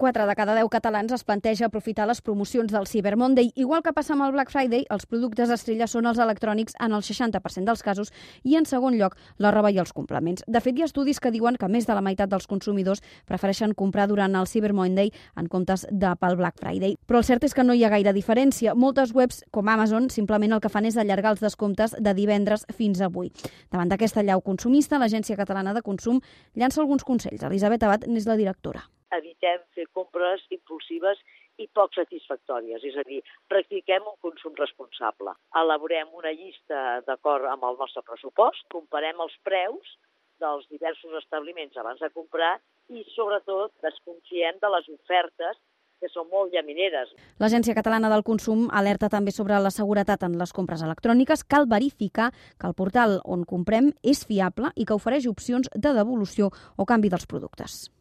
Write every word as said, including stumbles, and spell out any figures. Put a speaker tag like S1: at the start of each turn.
S1: quatre de cada deu catalans es planteja aprofitar les promocions del Cyber Monday. Igual que passa amb el Black Friday, els productes estrella són els electrònics en el seixanta per cent dels casos i, en segon lloc, la roba i els complements. De fet, hi ha estudis que diuen que més de la meitat dels consumidors prefereixen comprar durant el Cyber Monday en comptes de pel Black Friday. Però el cert és que no hi ha gaire diferència. Moltes webs, com Amazon, simplement el que fan és allargar els descomptes de divendres fins a avui. Davant d'aquesta llau consumista, l'Agència Catalana de Consum llança alguns consells. Elisabet Abad n'és la directora.
S2: Evitem fer compres impulsives i poc satisfactòries, és a dir, practiquem un consum responsable. Elaborem una llista d'acord amb el nostre pressupost, comparem els preus dels diversos establiments abans de comprar i, sobretot, desconfiem de les ofertes que són molt llamineres.
S1: L'Agència Catalana del Consum alerta també sobre la seguretat en les compres electròniques. Cal verificar que el portal on comprem és fiable i que ofereix opcions de devolució o canvi dels productes.